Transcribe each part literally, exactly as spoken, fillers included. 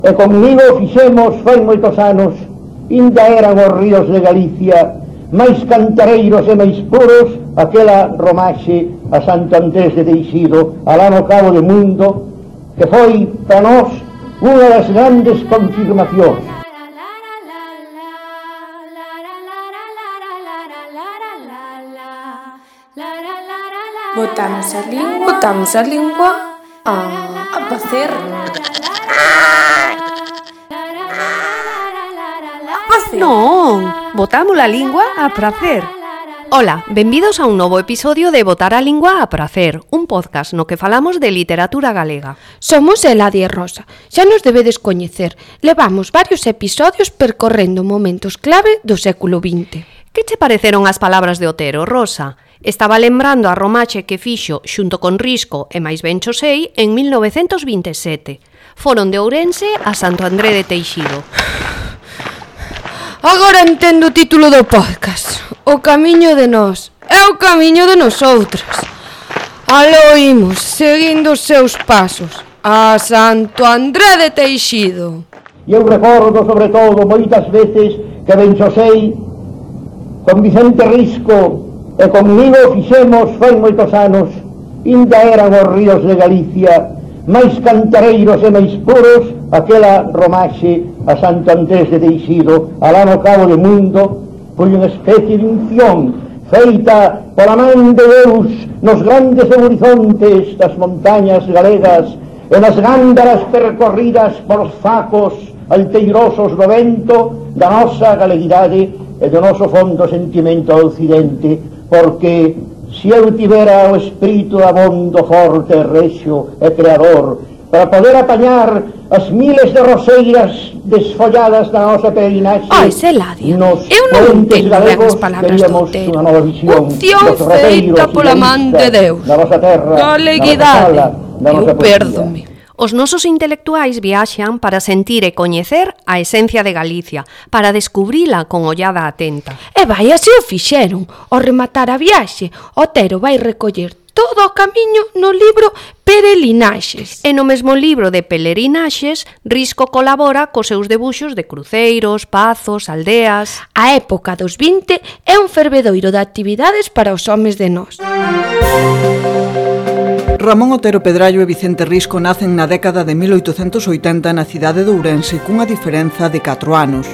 E comigo fixemos fai moitos anos, inda eran os ríos de Galicia máis cantareiros e máis puros, aquela romaxe a Santo Andrés de Teixido, alá no Cabo de Mundo, que foi para nós unha das grandes confirmacións. Botamos a lingua, botamos a lingua a, a facer. Non, botamos a lingua a pracer. Ola, benvidos a un novo episodio de Botar a Lingua a Pracer, un podcast no que falamos de literatura galega. Somos Eladia e Rosa, xa nos debedes coñecer. Levamos varios episodios percorrendo momentos clave do século vinte. Que che pareceron as palabras de Otero, Rosa? Estaba lembrando a romache que fixo xunto con Risco e máis ben cho sei en mil novecentos vinte e sete. Foron de Ourense a Santo André de Teixido. Agora entendo o título do podcast. O camiño de nós é o camiño de nosoutras. Aló imos, seguindo os seus pasos, a Santo André de Teixido. E eu recordo, sobre todo, moitas veces que ben xo sei, con Vicente Risco e comigo fixemos fai moitos anos, inda eran os ríos de Galicia máis cantareiros e máis puros, aquela romaxe a Santo Andrés de Teixido, alá no Cabo de Mundo, foi unha especie de unción feita pola man de Deus nos grandes horizontes das montañas galegas e nas gándaras percorridas por facos alteirosos do vento da nosa galeguidade e do noso fondo sentimento ao occidente, porque se eu tivera o espírito abondo, forte, rexo e creador para poder apañar as miles de roseiras desfolladas da nosa peregrinaxe, Ai, Eladia, eu non entendo ben as palabras do Otero. Unción feita pola man de Deus, galeguidade, eu pérdome. Os nosos intelectuais viaxan para sentir e coñecer a esencia de Galicia, para descubrila con ollada atenta. E vai, así o fixeron. Ao rematar a viaxe, Otero vai recoller todo o camiño no libro Peregrinaxes. E no mesmo libro de Peregrinaxes, Risco colabora cos seus debuxos de cruceiros, pazos, aldeas. A época dos vinte é un fervedoiro de actividades para os homes de nós. Ramón Otero Pedrallo e Vicente Risco nacen na década de mil oitocentos oitenta na cidade de Ourense cunha diferenza de catro anos.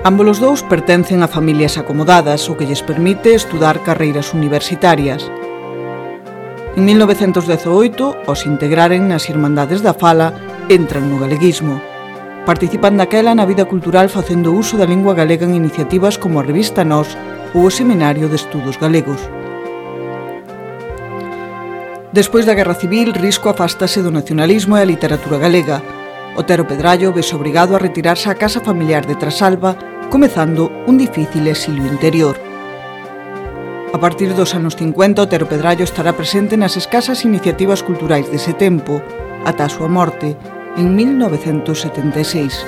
Ambos os dous pertencen a familias acomodadas, o que lles permite estudar carreiras universitarias. En mil novecentos dezoito, os integraren nas Irmandades da Fala, entran no galeguismo. Participan daquela na vida cultural facendo uso da lingua galega en iniciativas como a revista Nós ou o Seminario de Estudos Galegos. Despois da Guerra Civil, Risco afástase do nacionalismo e a literatura galega. Otero Pedrallo vese obrigado a retirarse á casa familiar de Trasalba, comezando un difícil exilio interior. A partir dos anos cincuenta, Otero Pedrallo estará presente nas escasas iniciativas culturais dese tempo, ata a súa morte, en mil novecentos setenta e seis.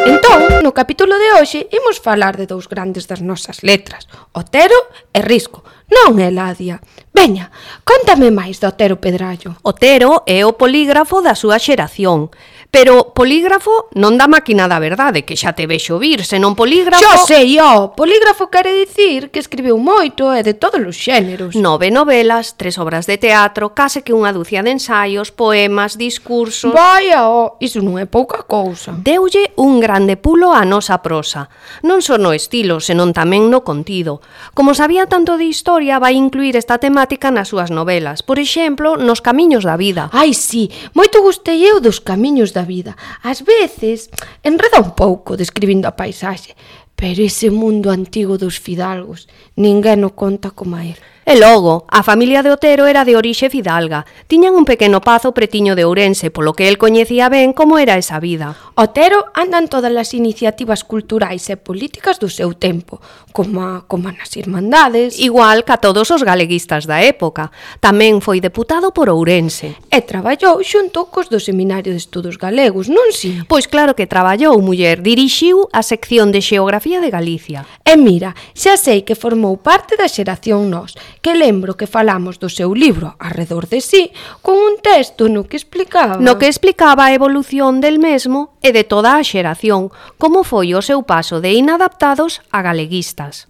Entón, no capítulo de hoxe, imos falar de dous grandes das nosas letras, Otero e Risco. Non, Eladia. Veña, contame máis do Otero Pedrallo. Otero é o polígrafo da súa xeración. Pero polígrafo non da máquina da verdade, que xa te vexo vir, senón polígrafo... Xo sei, ó, polígrafo quere dicir que escribiu moito e de todos os xéneros. Nove novelas, tres obras de teatro, case que unha dúcia de ensaios, poemas, discursos... Vaya, ó, iso non é pouca cousa. Deulle un grande pulo á nosa prosa. Non só no estilo, senón tamén no contido. Como sabía tanto de historia, vai incluir esta temática nas súas novelas. Por exemplo, nos Camiños da Vida. Ai, sí, moito gustei eu dos Camiños da Vida. Ás veces enreda un pouco describindo a paisaxe, pero ese mundo antigo dos fidalgos ninguén o conta como a él. E logo, a familia de Otero era de orixe fidalga. Tiñan un pequeno pazo pretiño de Ourense, polo que el coñecía ben como era esa vida. Otero anda en todas as iniciativas culturais e políticas do seu tempo, como, a, como nas Irmandades. Igual que a todos os galeguistas da época. Tamén foi deputado por Ourense. E traballou xunto cos do Seminario de Estudos Galegos, non si? Pois claro que traballou, muller. Dirixiu a sección de Xeografía de Galicia. E mira, xa sei que formou parte da xeración Nós, que lembro que falamos do seu libro Arredor de sí con un texto no que explicaba... No que explicaba a evolución del mesmo e de toda a xeración, como foi o seu paso de inadaptados a galeguistas.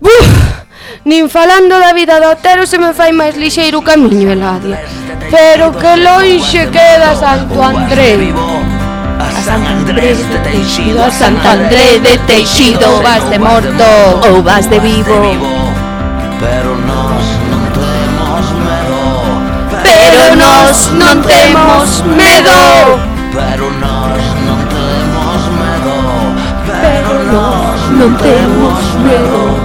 Buf! Nin falando da vida do Otero se me fai máis lixeiro o camiño, Eladia. Pero que lonxe queda Santo André. A San Andrés de Teixido, A Santo André de Teixido, vas de morto ou vas de vivo. Pero nós non temos medo. Pero nós non temos medo. Pero nós non temos medo. Pero nós Non temos medo.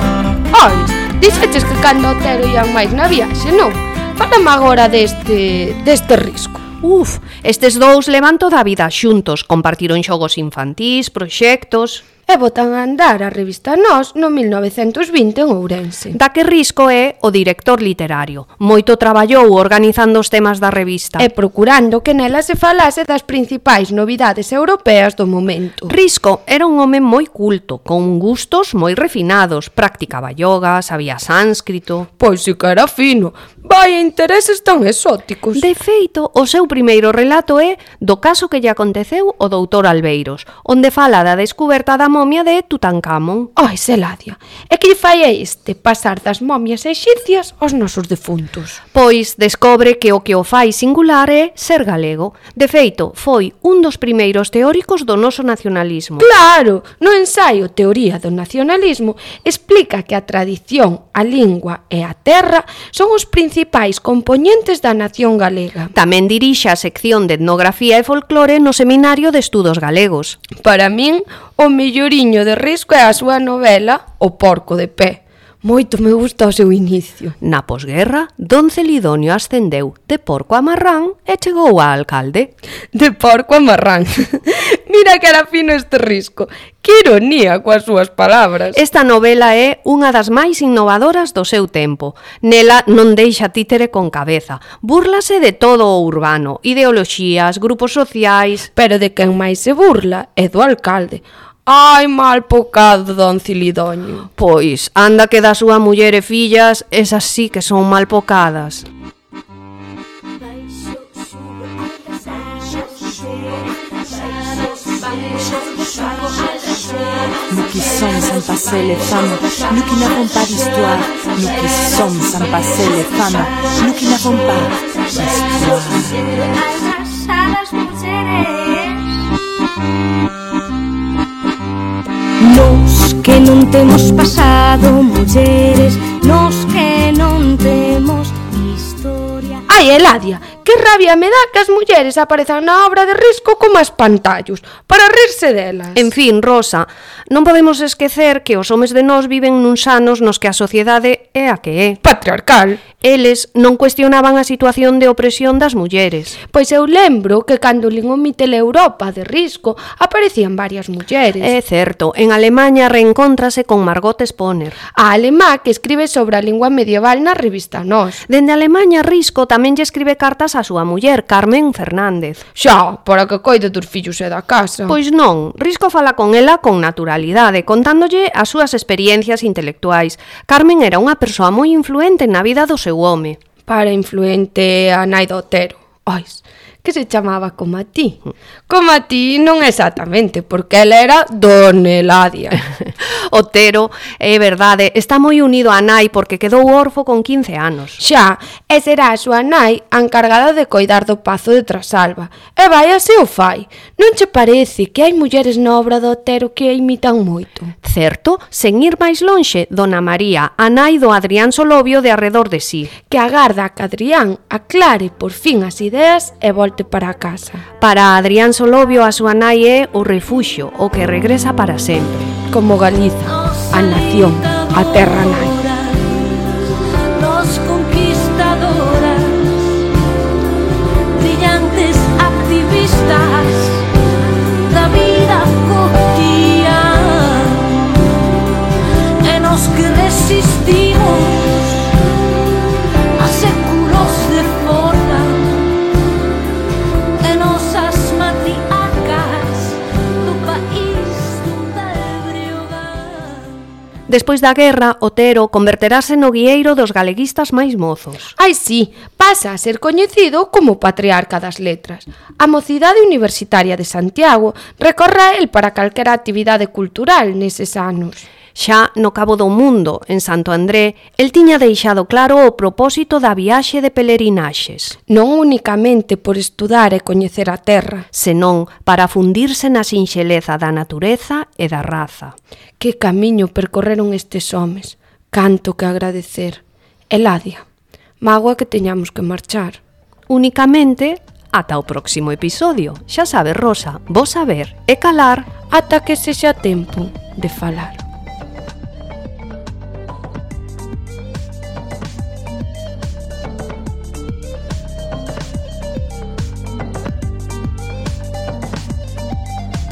Ai, dixeches que cando Otero ian máis na viaxe, non? Fálame agora deste, deste risco. Uf, estes dous levan toda a vida xuntos, compartiron xogos infantís, proxectos... E botan a andar a revista Nós no mil novecentos vinte en Ourense. Da que Risco é o director literario. Moito traballou organizando os temas da revista. E procurando que nela se falase das principais novidades europeas do momento. Risco era un home moi culto, con gustos moi refinados. Practicaba yoga, sabía sánscrito... Pois si que era fino. Vai, intereses tan exóticos. De feito, o seu primeiro relato é do caso que lle aconteceu ao doutor Albeiros, onde fala da descuberta da momia de Tutankamón. Ai, Eladia, é que lle fai a este pasar das momias exipcias aos nosos defuntos. Pois descobre que o que o fai singular é ser galego. De feito, foi un dos primeiros teóricos do noso nacionalismo. Claro, no ensaio Teoría do Nacionalismo explica que a tradición, a lingua e a terra son os principais compoñentes da nación galega. Tamén dirixe a sección de etnografía e folclore no Seminario de Estudos Galegos. Para min, o melloriño de Risco é a súa novela O porco de pé. Moito me gusta o seu inicio. Na posguerra, don Celidonio ascendeu de porco a marrán e chegou a alcalde. De porco a marrán. Mira que era fino este Risco. Que ironía coas súas palabras. Esta novela é unha das máis innovadoras do seu tempo. Nela non deixa títere con cabeza. Búrlase de todo o urbano, ideoloxías, grupos sociais... Pero de quen máis se burla é do alcalde. Ai, mal pocado, don Celidonio. Pois, anda que da súa muller e fillas, esas sí que son mal pocadas. Nous qui sommes sans passer les femmes, nous qui n'avons pas d'histoire, nous qui sommes sans passer les femmes, nous qui n'avons pas d'histoire. Nos que non temos pasado, mulleres, nos que non temos historia. Ai, Eladia, que rabia me dá que as mulleres aparezan na obra de Risco como espantallos, para rirse delas. En fin, Rosa, non podemos esquecer que os homes de nós viven nuns anos nos que a sociedade é a que é. Patriarcal. Eles non cuestionaban a situación de opresión das mulleres. Pois eu lembro que cando lin o Mitel Europa de Risco aparecían varias mulleres. É certo, en Alemanha reencóntrase con Margot Sponer. A alemá que escribe sobre a lingua medieval na revista Nós. Dende Alemanha, Risco tamén lle escribe cartas a súa muller, Carmen Fernández. Xa, para que coide dos fillos e da casa. Pois non, Risco fala con ela con naturalidade, contándolle as súas experiencias intelectuais. Carmen era unha persoa moi influente na vida do seu home. Para influente a nai do Otero. Ois, que se chamaba como a ti. Como a ti non exactamente, porque ela era Don Eladia. Otero, é verdade, está moi unido a nai porque quedou orfo con quince anos. Xa, e será a súa nai a encargada de coidar do pazo de Trasalba. E vai así o fai. Non che parece que hai mulleres na obra do Otero que a imitan moito? Certo, sen ir máis lonxe, Dona María, a nai do Adrián Solovio de Arredor de sí. Que agarda a que Adrián aclare por fin as ideas e volte para a casa. Para Adrián Solovio, a súa nai é o refuxio, o que regresa para sempre. Como Galiza, a nación, a terra nai. Nos conquistadoras, brillantes activistas da vida cotidiana, e nos que resistimos a séculos de forma, e nosas matriarcas do país da Breogán. Despois da guerra, Otero converterase no guieiro dos galeguistas máis mozos. Ai, sí, pasa a ser coñecido como patriarca das letras. A mocidade universitaria de Santiago recorre a el para calquera actividade cultural neses anos. Xa no Cabo do Mundo, en Santo André, el tiña deixado claro o propósito da viaxe de pelerinaxes. Non únicamente por estudar e coñecer a terra, senón para fundirse na sinxeleza da natureza e da raza. Que camiño percorreron estes homes, canto que agradecer. Eladia, mágoa que teñamos que marchar. Únicamente ata o próximo episodio. Xa sabes, Rosa, vos saber e calar ata que sexa tempo de falar.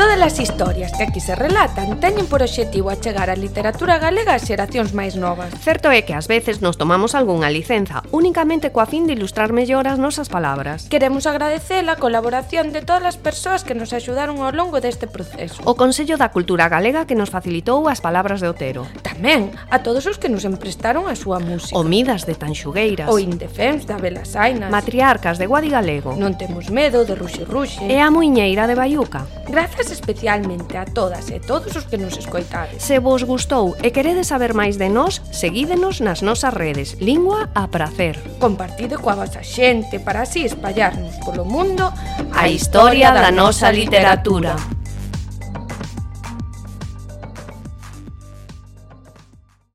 Todas as historias que aquí se relatan teñen por obxectivo achegar a literatura galega ás xeracións máis novas. Certo é que ás veces nos tomamos algunha licenza, únicamente coa fin de ilustrar mellor as nosas palabras. Queremos agradecer a colaboración de todas as persoas que nos axudaron ao longo deste proceso. O Consello da Cultura Galega que nos facilitou as palabras de Otero. Tamén a todos os que nos emprestaron a súa música. O Midas de Tanxugueiras. O Indefens da Belasainas. Matriarcas de Guadi Galego. Non temos medo de Ruxe Ruxe. E a Muiñeira de Baiuca. Grazas especialmente a todas e todos os que nos escoitades. Se vos gustou e queredes saber máis de nós, seguídenos nas nosas redes. Lingua a prazer. Compartide coa vosa xente para así espallarnos polo mundo a historia da nosa literatura.